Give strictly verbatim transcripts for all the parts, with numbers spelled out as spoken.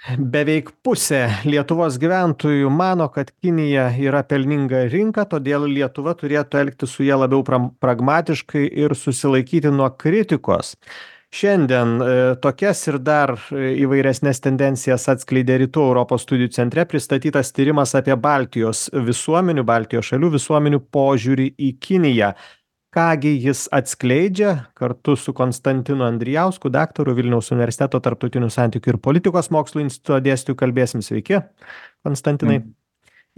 Beveik pusė Lietuvos gyventojų mano, kad Kinija yra pelninga rinka, todėl Lietuva turėtų elgtis su ja labiau pram- pragmatiškai ir susilaikyti nuo kritikos. Šiandien e, tokias ir dar e, įvairesnės tendencijas atskleidė Rytų Europos studijų centre pristatytas tyrimas apie Baltijos visuomenių, Baltijos šalių visuomenių požiūrį į Kiniją. Ką gi jis atskleidžia kartu su Konstantinu Andrijausku, daktaru Vilniaus universiteto tarptautinių santykių ir politikos mokslų instituto dėstytoju kalbėsim. Sveiki, Konstantinai. Mm.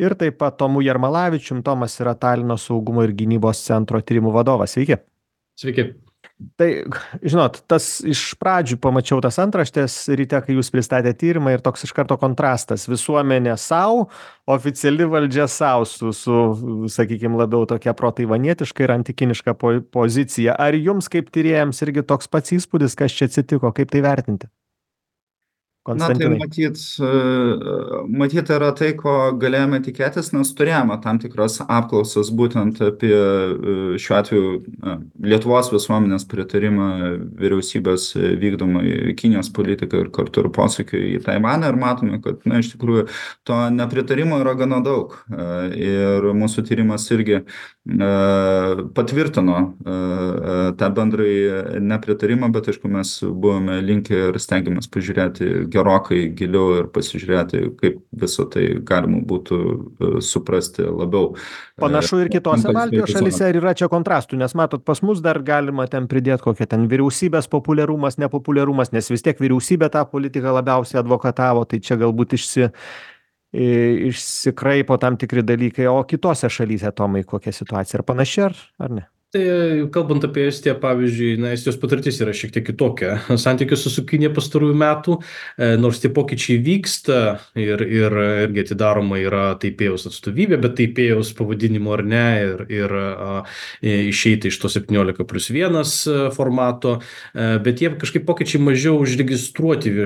Ir taip pat Tomu Jarmalavičium. Tomas yra Talino saugumo ir gynybos centro tyrimų vadovas. Sveiki. Sveiki. Tai, žinot, tas iš pradžių pamačiau tas antraštės ryte, kai jūs pristatėte tyrimą ir toks iš karto kontrastas. Visuomenė sau, oficiali valdžia sau su, su sakykime, labiau tokia protaivanietiška ir antikiniška po, pozicija. Ar jums kaip tyrėjams irgi toks pats įspūdis, kas čia atsitiko, kaip tai vertinti? Na, tai Konstantinai. matyt, e, matyt yra tai, ko galėjome tikėtis, nes turėjome tam tikras apklausas būtent apie e, šiuo atveju e, Lietuvos visuomenės pritarimą vyriausybės vykdomai Kinijos politikai ir kartu ir posūkiui į Taivaną ir matome, kad, na, iš tikrųjų to nepritarimo yra gana daug. E, Ir mūsų tyrimas irgi e, patvirtino e, e, tą bendrai nepritarimą, bet aišku, mes buvome linkę ir stengiamės pažiūrėti gerokai giliau ir pasižiūrėti, kaip visą tai galima būtų e, suprasti labiau. Panašu ir kitose Baltijos šalyse, Kontekstualizuojant. ar yra čia kontrastų, nes matot, pas mus dar galima ten pridėti kokią ten vyriausybės populiarumas, nepopuliarumas, nes vis tiek vyriausybė tą politiką labiausiai advokatavo, tai čia galbūt išsi, i, išsikraipo tam tikri dalykai, o kitose šalyse, Tomai, kokia situacija, ar panaši, ar, ar ne? Tai kalbant apie Estiją, pavyzdžiui, na, Estijos patirtis yra šiek tiek kitokia. Santykius su Kinija pastarųjų metų, e, nors tie pokyčiai vyksta ir, ir irgi atidaroma yra Taipėjaus atstovybė, bet Taipėjaus pavadinimo ar ne, ir, ir a, išeiti iš to septyniolika plius vienas formato, e, bet jie kažkaip pokyčiai mažiau užregistruoti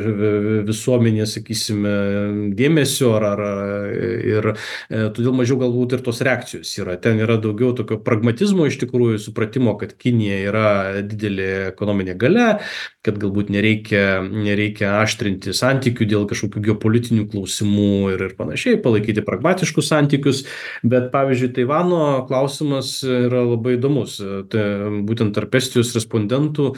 visuomenė, sakysime, dėmesio ar, ar ir e, todėl mažiau galbūt ir tos reakcijos yra. Ten yra daugiau tokio pragmatizmo iš tikrųjų, supratimo, kad Kinija yra didelė ekonominė galia, kad galbūt nereikia, nereikia aštrinti santykių dėl kažkokių geopolitinių klausimų ir, ir panašiai, palaikyti pragmatiškus santykius. Bet, pavyzdžiui, Taivano klausimas yra labai įdomus. Tai būtent tarp Estijos respondentų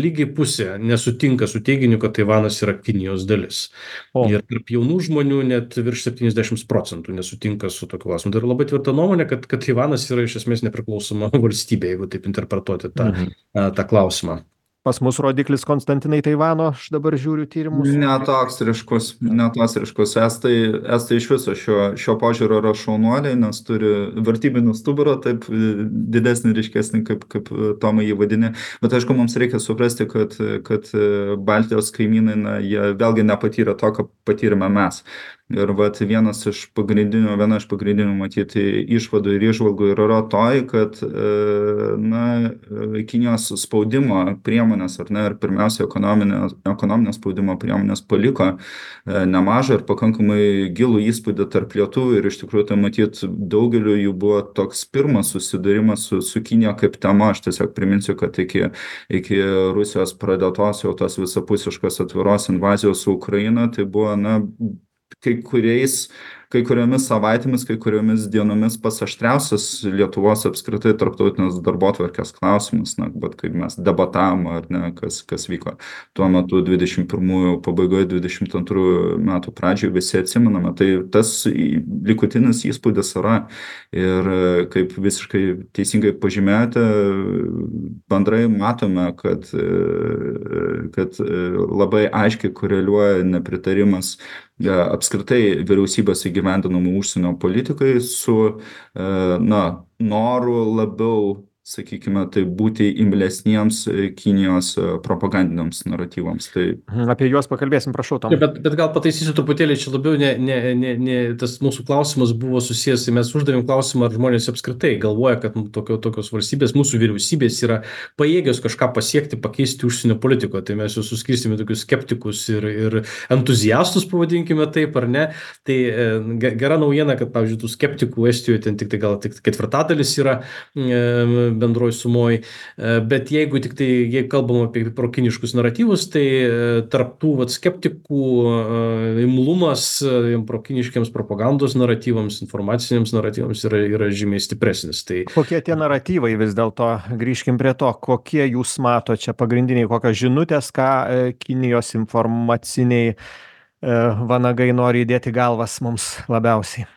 lygiai pusė nesutinka su teiginiu, kad Taivanas yra Kinijos dalis. O. Ir tarp jaunų žmonių net virš septyniasdešimt procentų nesutinka su tokiu klausimu. Tai yra labai tvirta nuomonė, kad, kad Taivanas yra iš esmės nepriklausoma valstybė, jeigu taip interpretuoti tą, Mhm. tą klausimą. Pas mus rodiklis Konstantinai Taivano, aš dabar žiūriu tyrimus. Ne toks ryškus, ne toks ryškus. Estai, estai iš viso šio, šio požiūrio yra šaunuoliai, nes turi vertybinį stuburą, taip didesnį, ryškesnį, kaip, kaip Tomai jį vadini. Bet aišku, mums reikia suprasti, kad, kad Baltijos kaimynai, na, jie vėlgi nepatyrė to, ką patyrėme mes. Ir vat vienas iš pagrindinių, viena iš pagrindinių matyti išvadų ir išvalgų yra toj, kad na, Kinijos spaudimo priemonės, ar ne, ir pirmiausia ekonominio, ekonominio spaudimo priemonės paliko nemažą ir pakankamai gilų įspūdį tarp lietuvių ir iš tikrųjų tai matyt daugeliu jų buvo toks pirmas susidūrimas su, su Kinija kaip tema. Aš tiesiog priminsiu, kad iki, iki Rusijos pradėtos jau tos visapusiškos atviros invazijos su Ukraina, tai buvo, na, kai kuriais, kai kuriomis savaitėmis, kai kuriomis dienomis pats aštriausias Lietuvos apskritai tarptautinės darbotvarkės klausimas, na, bet kaip mes debatavom, ar ne, kas, kas vyko tuo metu dvidešimt pirmųjų pabaigoje, dvidešimt antrųjų metų pradžioje, visi atsimename. Tai tas likutinis įspūdis yra ir kaip visiškai teisingai pažymėjote, bendrai matome, kad, kad labai aiškiai koreliuoja nepritarimas apskritai vyriausybės įgyvendinamų užsienio politikai su, na, noru labiau, sakykime, tai būti imlesniems Kinijos propagandiniams naratyvams. Tai... Apie juos pakalbėsim, prašau, Tom. Bet, bet gal pataisysiu truputėlį, čia labiau ne, ne, ne, ne, tas mūsų klausimas buvo susijęs, mes uždavėm klausimą, ar žmonės apskritai galvoja, kad tokio, tokios valstybės, mūsų vyriausybės yra pajėgios kažką pasiekti, pakeisti užsienio politiko. Tai mes jau suskirstėme tokius skeptikus ir, ir entuziastus, pavadinkime taip, ar ne. Tai e, gera naujiena, kad, pavyzdžiui, tų skeptikų Estijoje ten tik tai gal tik ketvirtadalis yra e, bendroj sumoj, bet jeigu tik tai, jeigu kalbam apie prokiniškus naratyvus, tai tarp tų vat skeptikų imlumas prokiniškiams propagandos naratyvams, informaciniams naratyvams yra, yra žymiai stipresnis. Tai kokie tie naratyvai vis dėlto, grįžkim prie to, kokie jūs mato čia pagrindiniai, kokios žinutės, ką Kinijos informaciniai vanagai nori įdėti galvas mums labiausiai?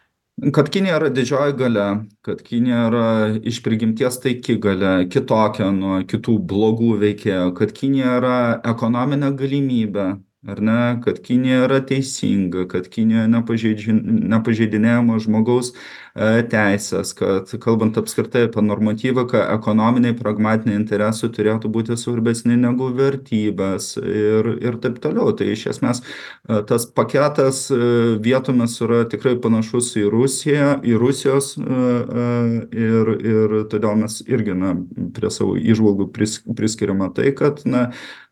Kad Kinija yra didžioji galia, kad Kinija yra iš prigimties taiki galia, kitokia nuo kitų blogų veikėjų, kad Kinija yra ekonominė galimybė, ar ne, kad Kinija yra teisinga, kad Kinija nepažeidinėjama žmogaus teisės, kad kalbant apskritai apie normatyviką, ekonominiai, pragmatiniai interesai turėtų būti svarbesni negu vertybės ir, ir taip toliau. Tai iš esmės tas paketas vietomis yra tikrai panašus į Rusiją, į Rusijos ir, ir todėl mes irgi na, prie savo įžvalgų pris, priskiriame tai, kad na,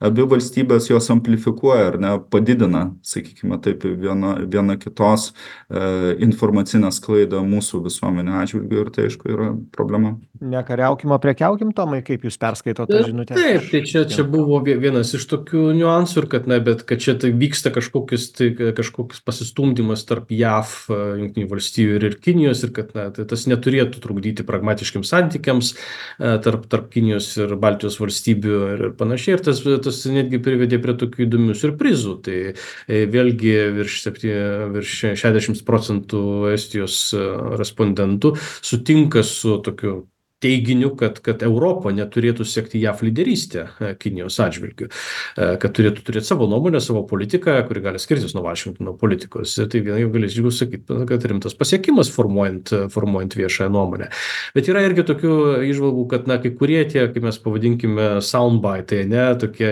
abi valstybės jos amplifikuoja ar ne, padidina, sakykime taip, viena, viena kitos e, informacinę sklaidą mūsų visuomenė atžvilgiu ir tai aišku yra problema. Nekariaukim, o prekiaukim, Tomai, kaip jūs perskaitote tą žinutę? Taip, tai čia, čia buvo vienas iš tokių niuansų ir kad, na, bet kad čia tai vyksta kažkokius, tai, kažkokius pasistumdymas tarp J A V, Jungtinių valstijų ir, ir Kinijos ir kad na, tai tas neturėtų trukdyti pragmatiškiams santykiams tarp, tarp Kinijos ir Baltijos valstybių ir, ir panašiai. Ir tas, tas netgi privedė prie tokių įdomių siurprizų. Tai vėlgi virš, virš šešiasdešimt procentų Estijos respondentų sutinka su tokiu teiginiu, kad, kad Europa neturėtų sekti J A V lyderystę Kinijos atžvilgiu, kad turėtų turėti savo nuomonę, savo politiką, kuri gali skirtis nuo Vašingtono politikos. Ir tai vienai galėčiau sakyti, kad rimtas pasiekimas formuojant, formuojant viešąją nuomonę. Bet yra irgi tokių įžvalgų, kad na, kai kurie tie, kaip mes pavadinkime, soundbite, ne, tokie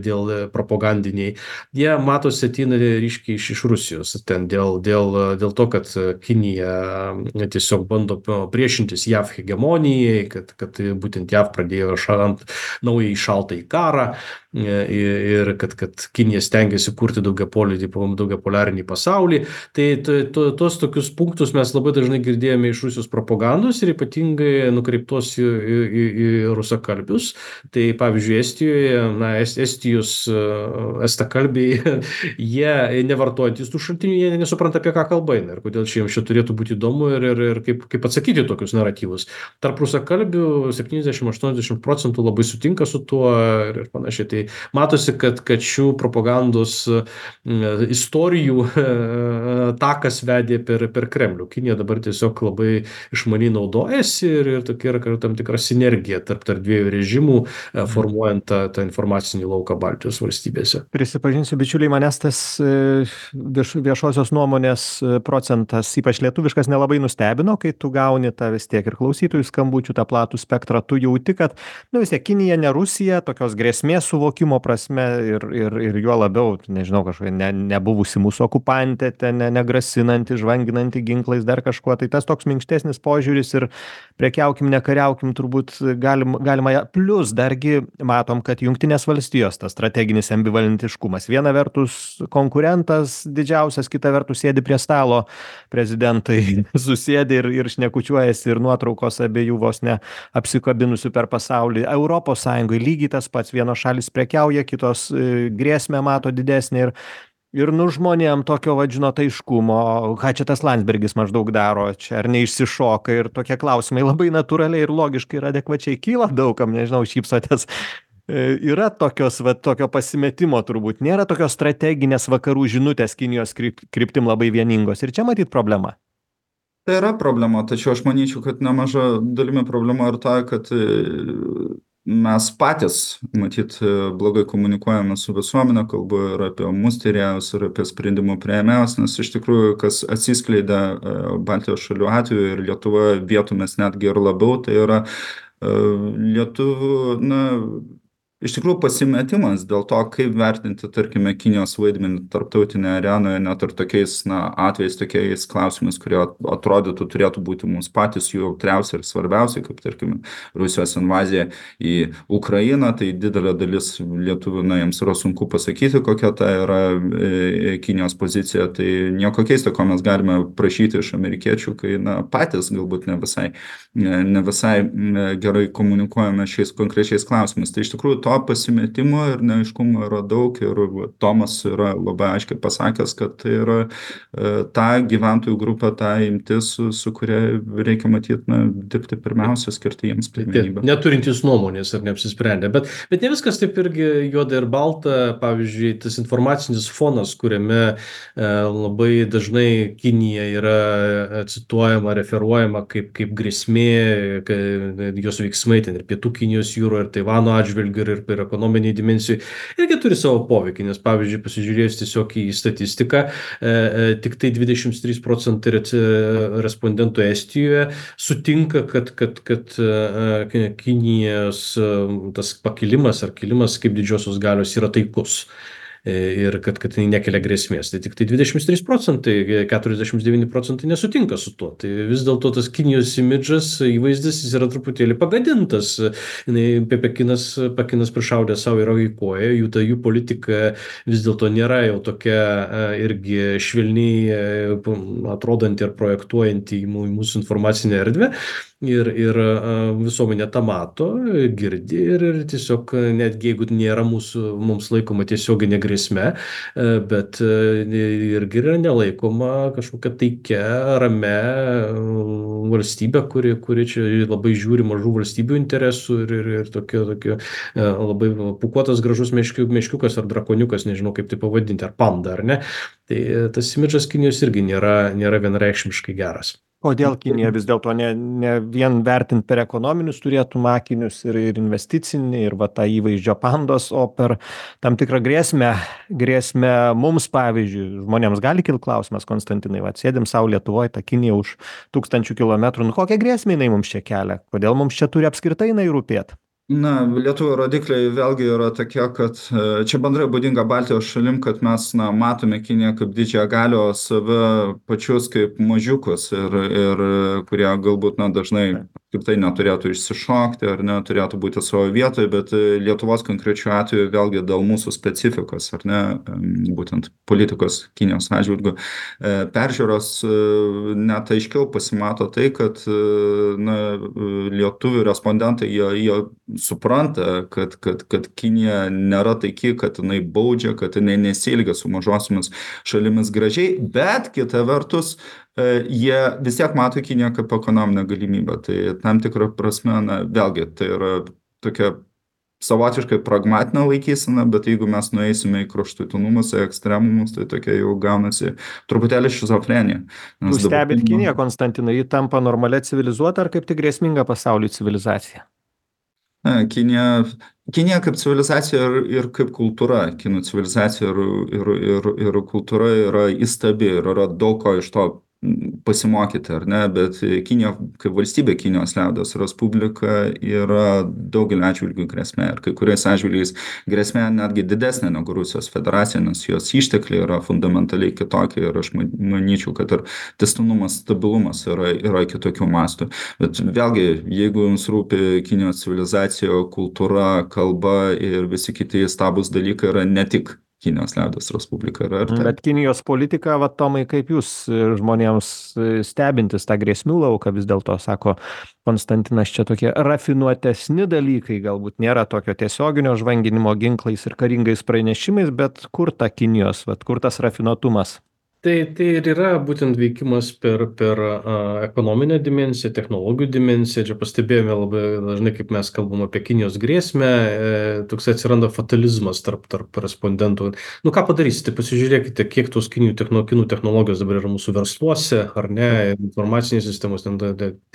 dėl propagandiniai, jie matosi ateina ryškiai iš, iš Rusijos, ten dėl, dėl, dėl to, kad Kinija tiesiog bando priešintis J A V hegemonijai, kad, kad būtent J A V pradėjo šalant naują šaltąjį karą ir kad, kad Kinija stengiasi kurti daugiapolį, daugiapolarinį pasaulį. Tai to, to, tos tokius punktus mes labai dažnai girdėjome iš Rusijos propagandos ir ypatingai nukreiptos į, į, į rusakalbius. Tai pavyzdžiui, Estijoje, na, Estijos estakalbiai, jie nevartojantys tų šaltinių, jie nesupranta, apie ką kalba eina ir kodėl čia jiems čia turėtų būti įdomu ir, ir, ir kaip, kaip atsakyti tokius naratyvus. Tarp rusakalbių septyniasdešimt aštuoniasdešimt procentų labai sutinka su tuo ir, ir panašiai. Tai matosi, kad, kad šių propagandos istorijų takas vedė per, per Kremlių. Kinija dabar tiesiog labai išmaniai naudojasi ir, ir tokia yra tam tikra sinergija tarp, tarp dviejų režimų, formuojant tą, tą informacinį lauką Baltijos valstybėse. Prisipažinsiu, bičiuliai, manęs tas vieš, viešosios nuomonės procentas, ypač lietuviškas, nelabai nustebino, kai tu gauni tą vis tiek ir klausytojų skambučių, tą platų spektrą, tu jauti, kad nu, vis tiek Kinija, ne Rusija, tokios grėsmės suvokimo prasme ir, ir, ir juo labiau, nežinau, kažkokia ne, nebuvusi mūsų okupantė, ten ne, negrasinanti, žvanginanti ginklais, dar kažkuo, tai tas toks minkštesnis požiūris ir prekiaukim, nekariaukim, turbūt galim, galima, plus dargi matom, kad Jungtinės valstijos, tas strateginis ambivalentiškumas, viena vertus konkurentas didžiausias, kita vertus sėdi prie stalo prezidentai, susėdi ir, ir šnekučiuojasi ir nuotraukos abiejų vos ne apsikabinusių per pasaulį. Europos Sąjungoje lygiai tas pats, vienos šalis prekiauja, kitos e, grėsmę mato didesnį ir, ir nu žmonėm tokio vadžino taiškumo, ką čia tas Landsbergis maždaug daro, čia ar neišsišoka ir tokie klausimai labai natūraliai ir logiškai ir adekvačiai kyla daugam, nežinau, šypsotės. E, yra tokios, va, tokio pasimetimo turbūt, nėra tokios strateginės vakarų žinutės Kinijos kryp, kryptim labai vieningos ir čia matyt problema. Tai yra problema, tačiau aš manyčiau, kad nemaža dalimi problema ir ta, kad mes patys, matyt, blogai komunikuojame su visuomenė, kalbu ir apie mus tyrėjus, ir apie sprendimų priėmėjus, nes iš tikrųjų, kas atsiskleidė Baltijos šalių atveju ir Lietuvoje vietomis netgi ir labiau, tai yra lietuvių, na, iš tikrųjų pasimetimas dėl to, kaip vertinti, tarkime, Kinijos vaidmenį tarptautinėje arenoje, net ir tokiais, na, atvejais, tokiais klausimais, kurie atrodytų turėtų būti mums patys jų jautriausi ir svarbiausi, kaip, tarkime, Rusijos invazija į Ukrainą, tai didelė dalis lietuvių, na, jiems yra sunku pasakyti, kokia ta yra e, Kinijos pozicija, tai nieko keisto, ko mes galime prašyti iš amerikiečių, kai, na, patys galbūt ne visai, ne, ne visai gerai komunikuojame šiais konkrečiais klausimais. Tai iš tikrųjų to to pasimetimo ir neaiškumo yra daug ir Tomas yra labai aiškiai pasakęs, kad tai yra ta gyventojų grupė, ta imtis, su, su kuria reikia matyti, na, dirbti pirmiausia, skirti jiems pirmenybę. Neturintys nuomonės ar neapsisprendę, bet, bet ne viskas taip irgi juoda ir balta, pavyzdžiui, tas informacinis fonas, kuriame e, labai dažnai Kinija yra cituojama, referuojama kaip, kaip grėsmė, jos veiksmai ten ir Pietų Kinijos jūro, ir Taivano atžvilgiu, ir, ir ekonominiai dimensijai, irgi turi savo poveikį, nes pavyzdžiui, pasižiūrėjus tiesiog į statistiką, e, e, tik tai dvidešimt trys procentai respondentų Estijoje sutinka, kad, kad, kad e, Kinijos e, tas pakilimas ar kilimas kaip didžiosios galios yra taikus. Ir kad, kad tai nekelia grėsmės. Tai tik tai dvidešimt trys procentai, keturiasdešimt devyni procentai nesutinka su tuo. Tai vis dėlto tas Kinijos imidžas, įvaizdis, jis yra truputėlį pagadintas. Pekinas, Pekinas prišaudė savo į koją, jų ta jų politika vis dėlto nėra jau tokia irgi švelniai atrodanti ir projektuojanti į mūsų informacinę erdvę. Ir, ir visuomenė tą mato, girdi ir, ir tiesiog netgi jeigu nėra mūsų, mums laikoma tiesioginė grėsme, bet irgi yra nelaikoma kažkokia taikia, rame valstybė, kuri, kuri čia labai žiūri mažų valstybių interesų ir, ir, ir tokio, tokio labai pūkuotas gražus meškiu, meškiukas ar drakoniukas, nežinau kaip tai pavadinti, ar panda, ar ne. Tai tas imidžas Kinijos irgi nėra, nėra vienareikšmiškai geras. Kodėl Kinija vis dėlto ne, ne vien vertint per ekonominius turėtų akinius ir, ir investicinį, ir va tą įvaizdžio pandos, o per tam tikrą grėsmę, grėsmę mums, pavyzdžiui, žmonėms gali kilti klausimas, Konstantinai, va, sėdim savo Lietuvoje, ta Kinija už tūkstančių kilometrų, nu kokią grėsmę jinai mums čia kelia, kodėl mums čia turi apskritai jinai rūpėti? Na, Lietuvoje rodikliai vėlgi yra tokie, kad čia bendrai būdinga Baltijos šalim, kad mes na, matome Kiniją kaip didžiąją galią, o save pačius kaip mažiukus ir, ir kurie galbūt na, dažnai kaip tai neturėtų išsišokti ar neturėtų būti savo vietoje, bet Lietuvos konkrečiu atveju vėlgi dėl mūsų specifikos, ar ne, būtent politikos Kinijos atžvilgiu, peržiūros net aiškiau pasimato tai, kad na, lietuvių respondentai jie, jie supranta, kad, kad, kad Kinija nėra taiki, kad jinai baudžia, kad jinai nesielgia su mažosiomis šalimis gražiai, bet kita vertus, jie vis tiek mato Kiniją kaip ekonominę galimybę. Tai tam tikrą prasme, na, vėlgi, tai yra tokia savotiškai pragmatinė laikysena, bet jeigu mes nueisime į kraštutinumus, į ekstremumus, tai tokia jau gaunasi truputėlį šizofrenija. Jūs stebit Kiniją, Konstantinai, ji tampa normalia civilizuota ar kaip tik grėsminga pasauliui civilizacija? Kinija, Kinija kaip civilizacija ir, ir kaip kultūra, kinų civilizacija ir, ir, ir, ir kultūra yra įstabi ir yra daug ko iš to pasimokyti, ar ne, bet Kinija kaip valstybė, Kinijos liaudies Respublika yra daugelį atžvilgių grėsmė ir kai kuriais atžvilgiais grėsmė netgi didesnė negu Rusijos federacija, nes jos ištekliai yra fundamentaliai kitokie ir aš manyčiau, kad ir tęstinumas, stabilumas yra, yra kitokių mastų. Bet vėlgi, jeigu jums rūpi Kinijos civilizacija, kultūra, kalba ir visi kiti stabūs dalykai yra ne tik Kinijos liaudies Respublika. Bet Kinijos politika, va, Tomai, kaip jūs žmonėms stebintis tą grėsmių lauką, vis dėlto, sako Konstantinas, čia tokie rafinuotesni dalykai, galbūt nėra tokio tiesioginio žvanginimo ginklais ir karingais pranešimais, bet kur ta Kinijos, va, kur tas rafinuotumas? Tai, tai ir yra būtent veikimas per, per a, ekonominę dimensiją, technologijų dimensiją. Čia pastebėjome labai dažnai, kaip mes kalbam apie Kinijos grėsmę, e, toks atsiranda fatalizmas tarp, tarp respondentų. Nu ką padarysite, pasižiūrėkite, kiek tos kinijų techno, kinų technologijos dabar yra mūsų versluose, ar ne, informacinės sistemos, ten,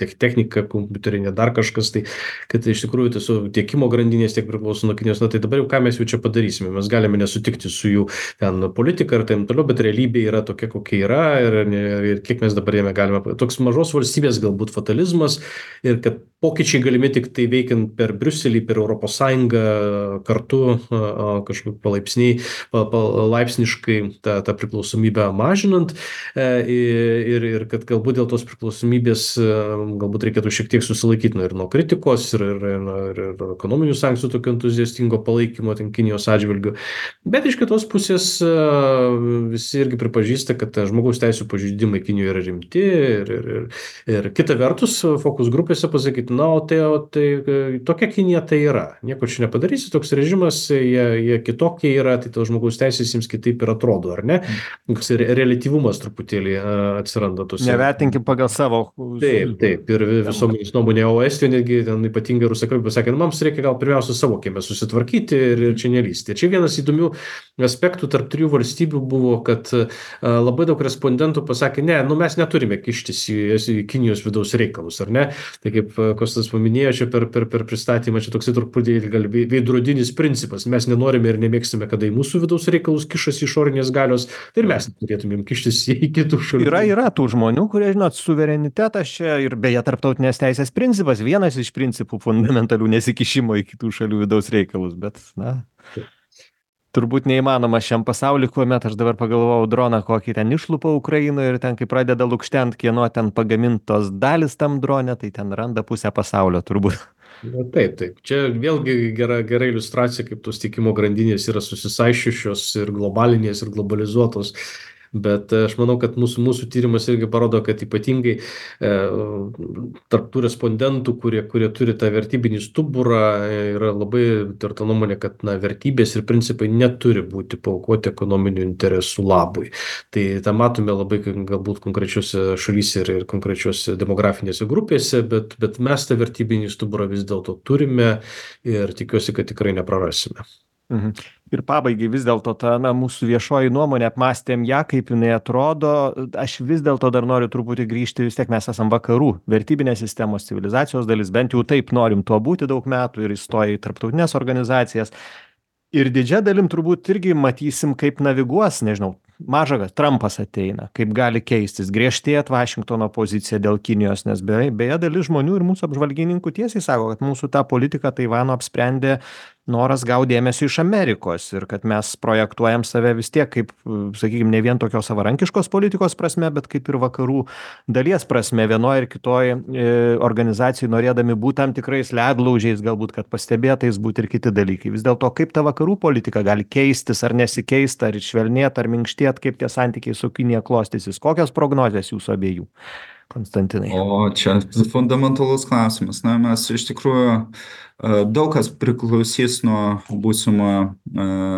technika, kompiuterinė, dar kažkas, tai kad iš tikrųjų tiesiog tiekimo grandinės tiek priklauso nuo Kinijos. Na tai dabar jau ką mes jau čia padarysime, mes galime nesutikti su jų ten politika ir taip toliau, bet realybė yra tokia, tokia, kokia yra ir, ir kiek mes dabar jame galime. Toks mažos valstybės galbūt fatalizmas ir kad pokyčiai galimi tik tai veikiant per Briuselį, per Europos Sąjungą kartu kažkaip palaipsniai, palaipsniškai tą, tą priklausomybę mažinant ir, ir kad galbūt dėl tos priklausomybės galbūt reikėtų šiek tiek susilaikyti ir nuo kritikos ir, ir, ir, ir ekonominių sankcijų tokio entuziastingo palaikymo ten Kinijos atžvilgių. Bet iš kitos pusės visi irgi pripažįsta, pripažįsta, kad žmogaus teisų pažeidimai Kinijoje yra rimti ir, ir, ir, ir kita vertus fokus grupėse pasakyti, na, o tai, o tai tokia Kinija tai yra. Nieko čia nepadarysi, toks režimas, jie, jie kitokie yra, tai tos žmogaus teisės jiems kitaip ir atrodo, ar ne? Toks reliatyvumas truputėlį atsiranda tose. Nevertinkim pagal savo. Taip, taip, ir visuomenės nuomonė, o Estijoje netgi ten ypatingai rusakalbiai pasakė, nu, mums reikia gal pirmiausia savo kieme susitvarkyti ir, ir čia nelysti. Čia vienas įdomių aspektų tarp trijų valstybių buvo, kad a, labai daug respondentų pasakė, ne, nu mes neturime kištis į, į Kinijos vidaus reikalus, ar ne? Tai kaip Kostas paminėjo čia per, per, per pristatymą, čia toksai truputėlį gal veidrodinis principas, mes nenorime ir nemėgstame, kada į mūsų vidaus reikalus kišasi išorinės galios, tai ir mes turėtumėm kištis į kitų šalių. Yra, yra tų žmonių, kurie, žinot, suverenitetas čia ir beje tarptautinės teisės principas, vienas iš principų fundamentalių nesikišimo į kitų šalių vidaus reikalus, bet, na, turbūt neįmanoma šiam pasauliu, kuomet aš dabar pagalvojau droną, kokį ten išlupa Ukrainoje ir ten, kai pradeda lukštent, kieno ten pagamintos dalis tam drone, tai ten randa pusę pasaulio turbūt. Na, taip, taip. Čia vėlgi gera, gera iliustracija, kaip tos tiekimo grandinės yra susisaišiusios ir globalinės ir globalizuotos. Bet aš manau, kad mūsų, mūsų tyrimas irgi parodo, kad ypatingai e, tarp tų respondentų, kurie, kurie turi tą vertybinį stuburą, yra labai tvirta nuomonė, kad na, vertybės ir principai neturi būti paaukoti ekonominių interesų labui. Tai tą matome labai galbūt konkrečiose šalyse ir, ir konkrečiose demografinėse grupėse, bet, bet mes tą vertybinį stuburą vis dėlto turime ir tikiuosi, kad tikrai neprarasime. Mhm. Ir pabaigai vis dėlto ta na, mūsų viešoji nuomonė, apmąstėm ją, kaip jinai atrodo. Aš vis dėlto dar noriu truputį grįžti, vis tiek mes esam vakarų vertybinės sistemos, civilizacijos dalis, bent jau taip norim tuo būti daug metų ir įstoję į tarptautinės organizacijas. Ir didžia dalim turbūt irgi matysim, kaip naviguos, nežinau, mažagas Trumpas ateina, kaip gali keistis, griežtėt Vašingtono pozicija dėl Kinijos, nes beje, beje dalis žmonių ir mūsų apžvalgininkų tiesiai sako, kad mūsų tą politiką Taivano apsprendė noras gauti dėmesio iš Amerikos ir kad mes projektuojam save vis tiek kaip, sakykime, ne vien tokios savarankiškos politikos prasme, bet kaip ir vakarų dalies prasme, vienoje ir kitoje organizacijai norėdami būti tam tikrais ledlaužiais, galbūt, kad pastebėtais būti ir kiti dalykai. Vis dėlto, kaip ta vakarų politika gali keistis ar nesikeist, ar švelnėt, ar minkštėt, kaip tie santykiai su Kinija klostysis. Kokios prognozės jūsų abiejų, Konstantinai? O čia fundamentalus klausimas. Na, mes iš tikrųjų daug kas priklausys nuo būsimo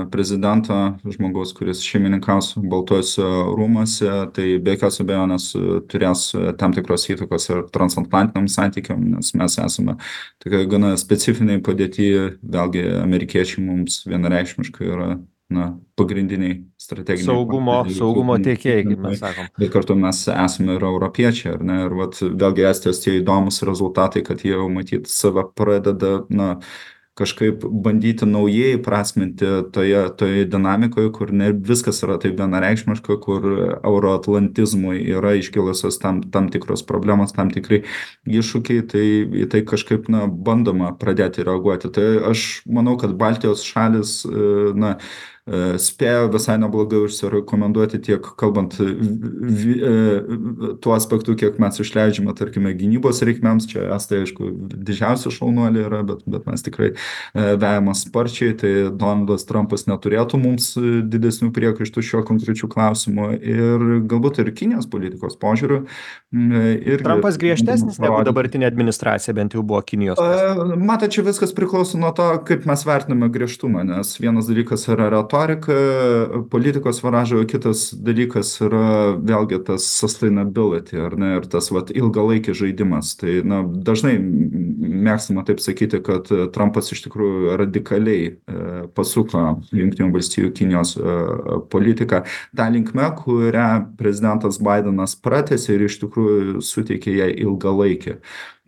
prezidento, žmogaus, kuris šeimininkaus Baltuose rūmuose, tai be jokios abejonės turės tam tikros įtakos ir transatlantiniam santykiam, nes mes esame tokia gana specifiniai padėti, vėlgi amerikiečiai mums vienareikšmiškai yra na, pagrindiniai strateginiai saugumo, saugumo tiekėjai, kaip mes sakom. Bet kartu mes esame ir europiečiai, ar ne? Ir vat, vėlgi Estijos tie įdomus rezultatai, kad jie jau matyt save pradeda na, kažkaip bandyti naujai prasminti toje, toje dinamikoje, kur ne viskas yra taip vienareikšmiška, kur euroatlantizmui yra iškilusios tam, tam tikros problemos, tam tikrai iššūkiai, tai į tai kažkaip na, bandoma pradėti reaguoti. Tai aš manau, kad Baltijos šalis na, spėjo visai neblogai užsirekomenduoti tiek kalbant vi, tuo aspektu, kiek mes išleidžiame, tarkime, gynybos reikmėms. Čia estai, aišku, didžiausi šaunuoliai yra, bet, bet mes tikrai vejame sparčiai, tai Donaldas Trumpas neturėtų mums didesnių priekaištų šiuo konkrečiu klausimu ir galbūt ir Kinijos politikos požiūriu. Trumpas griežtesnis negu dabartinė administracija, bent jau buvo Kinijos. Matai, čia viskas priklauso nuo to, kaip mes vertiname griežtumą, nes vienas dalykas yra retorika, politikos varažo, kitas dalykas yra vėlgi tas sustainability, ar ne, ir tas vat, ilgalaikis žaidimas. Tai na, dažnai mėgstama taip sakyti, kad Trumpas iš tikrųjų radikaliai e, pasuko Jungtinių valstijų Kinijos e, politiką tą linkme, kurią prezidentas Bidenas pratęsė ir iš tikrųjų suteikė jai ilgalaikį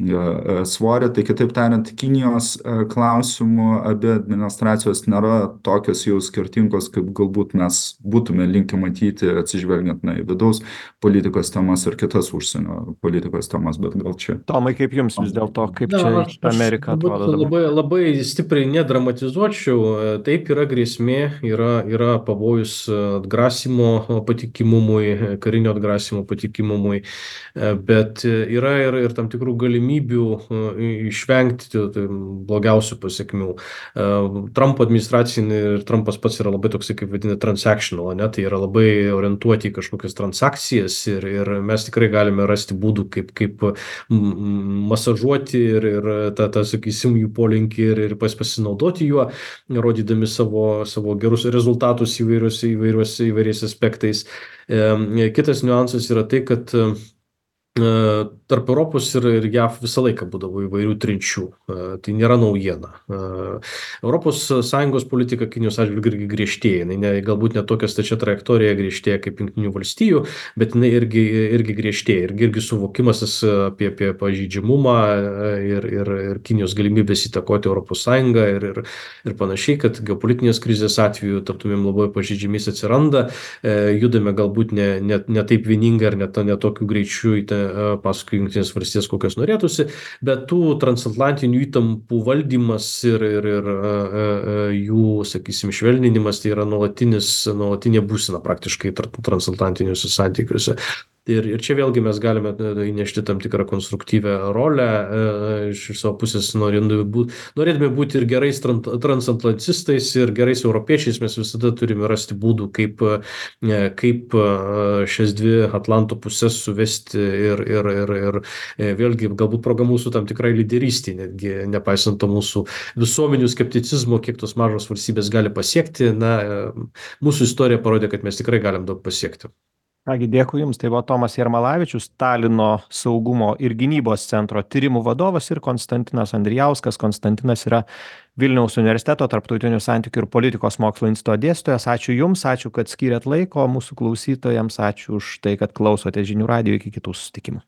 svorį. Tai kitaip tariant, Kinijos klausimų abi administracijos nėra tokios jau skirtingos, kaip galbūt mes būtume linkę matyti, atsižvelgiant na, į vidaus politikos temas ir kitas užsienio politikos temas, bet gal čia. Tomai, kaip jums vis dėlto, kaip čia Na, Amerika atrodo? Labai, labai stipriai nedramatizuočiau. Taip yra grėsmė, yra, yra pavojus atgrasimo patikimumui, karinio atgrasimo patikimumui, bet yra ir, ir tam tikrų galimybių galimybių išvengti blogiausių pasekmių. Trumpo administracinė ir Trumpas pats yra labai toksai, kaip vadina, transactional, ne? Tai yra labai orientuoti į kažkokias transakcijas ir, ir mes tikrai galime rasti būdų, kaip, kaip masažuoti ir, ir tą, tą, sakysim, jų polinkį ir, ir pas, pasinaudoti juo, rodydami savo, savo gerus rezultatus įvairius, įvairius, įvairiais aspektais. Kitas niuansas yra tai, kad tarp Europos ir, ir J A V visą laiką būdavo įvairių trinčių. Tai nėra naujiena. Europos Sąjungos politika Kinijos atžvilgiu irgi griežtėja. Jinai ne, galbūt ne tokia stačia trajektorija griežtėja kaip Jungtinių valstijų, bet jinai irgi, irgi griežtėja. Irgi, irgi suvokimas apie, apie pažeidžiamumą ir, ir, ir Kinijos galimybės įtakoti Europos Sąjungą ir, ir, ir panašiai, kad geopolitinės krizės atveju taptumėm labai pažeidžiamis atsiranda. Judame galbūt ne, ne, ne taip vieningai ar net ne tokiu greičiu į tą paskui Jungtinės valstijas, kokios norėtųsi, bet tų transatlantinių įtampų valdymas ir, ir, ir jų, sakysim, švelninimas tai yra nuolatinis, nuolatinė būsena praktiškai transatlantiniuose santykiuose. Ir, ir čia vėlgi mes galime įnešti tam tikrą konstruktyvę rolę iš savo pusės, norėdami būti, norėdami būti ir gerais transatlantistais ir gerais europiečiais, mes visada turime rasti būdų, kaip, kaip šias dvi Atlanto pusės suvesti ir, ir, ir, ir vėlgi galbūt proga mūsų tam tikrai lyderystė, netgi nepaisant to mūsų visuomenių skepticizmo, kiek tos mažos valstybės gali pasiekti. Na, mūsų istorija parodė, kad mes tikrai galim daug pasiekti. Kągi, dėkui Jums. Tai buvo Tomas Jarmalavičius, Talino saugumo ir gynybos centro tyrimų vadovas, ir Konstantinas Andrijauskas. Konstantinas yra Vilniaus universiteto tarptautinių santykių ir politikos mokslo instituto dėstytojas. Ačiū Jums, ačiū, kad skyrėt laiko mūsų klausytojams, ačiū už tai, kad klausote žinių radijo. Iki kitų susitikimų.